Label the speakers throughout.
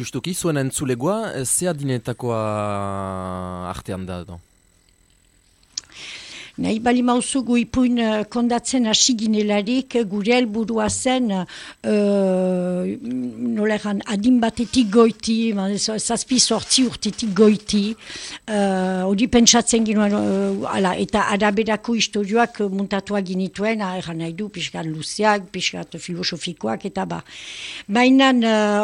Speaker 1: Justuki, zuen entzulegoa, ze adinetakoa artean da?
Speaker 2: Nahi bali mauzu gu ipuin kondatzen hasi ginelarik gure helburua zen noleran adin batetik goiti, zazpi sortzi urtetik goiti, hori pentsatzen ginoen, eta araberako historioak muntatuak ginituen, eran nahi du, pixkat luzeak, pixkat filosofikoak, eta ba. Baina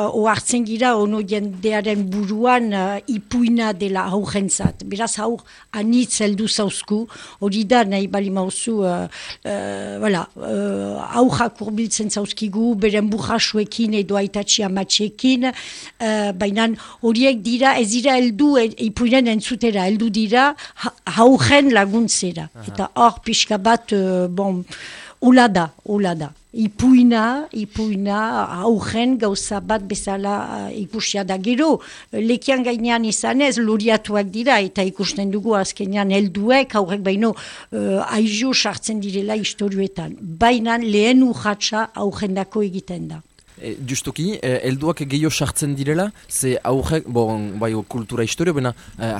Speaker 2: ohartzen gira, ono jendearen buruan ipuina dela aurrentzat. Beraz aur anitz heldu zauzku, hori da nahi bali mauzu aurrak urbiltzen zauzkigu, beren burrasuekin edo aitatxi amatxekin, baina horiek dira, ez dira heldu ipuinen entzutera, heldu dira aurren laguntzera. Eta hor pixka bat, ula da. Ipuina aurren gauza bat bezala ikusia da. Gero, lekian gainean izanez, loriatuak dira, eta ikusten dugu azkenean helduek, aurrek baino aizo sartzen direla historioetan. Baina lehen urratsa aurrendako egiten da.
Speaker 1: Justuki, helduak gehiago sartzen direla, ze aurrek, bai kultura historio, baina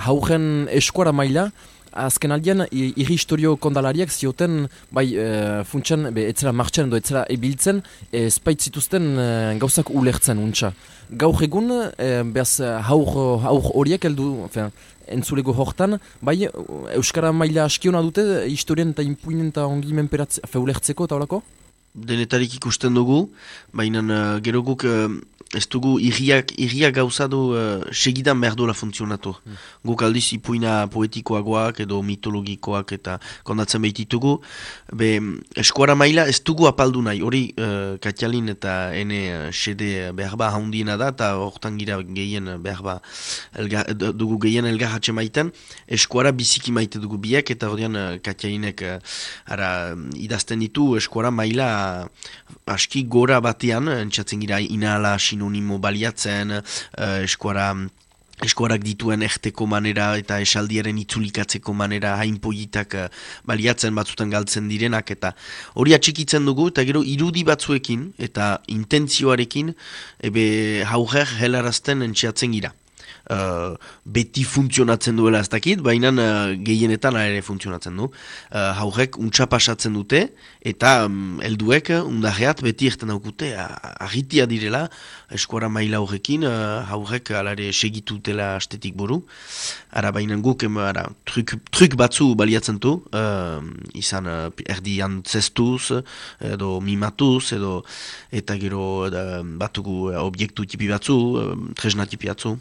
Speaker 1: aurren eskuara maila, azken aldean, irri historio kondalariak zioten, funtsan, etzera martxan edo etzera ebiltzen, espaitzituzten gauzak ulertzen, untxa. Gaur egun, behaz, haur horiek heldu, entzulego hortan, Euskara maila askiona dute, historien eta impuinen eta ongi ulertzeko eta horako?
Speaker 3: Denetarik ikusten dugu, baina gero guk ez dugu irriak gauza du segidan behar duela funtzionatu. Guk aldiz ipuina poetikoagoak edo mitologikoak eta kondatzen behititugu. Eskuara maila ez dugu apaldu nahi, hori Katialin eta ene sede behar ba haundiena da, eta hortan gira gehien behar ba dugu gehien elgarratxe maiten. Eskuara biziki maite dugu biak, eta horian Katialinek idazten ditu eskuara maila aski gora batean, entzatzen gira inala sinonimo baliatzen, eskuarak dituen erteko manera eta esaldiaren itzulikatzeko manera hainpoitak baliatzen batzutan galtzen direnak, eta hori atxikitzen dugu, eta gero irudi batzuekin eta intentzioarekin hauger helarazten entxeatzen gira. Beti funtzionatzen duela ez dakit, baina gehienetan ere funtzionatzen du. Haurek untsa pasatzen dute, eta helduek undarreat beti erten daukute, agitia direla, eskuara maila horrekin, haurek alare segitutela astetik buru. Baina guk truk batzu baliatzen du, izan erdi antzestuz, edo mimatuz, eta gero batugu objektu tipi batzu, tresna tipi batzu.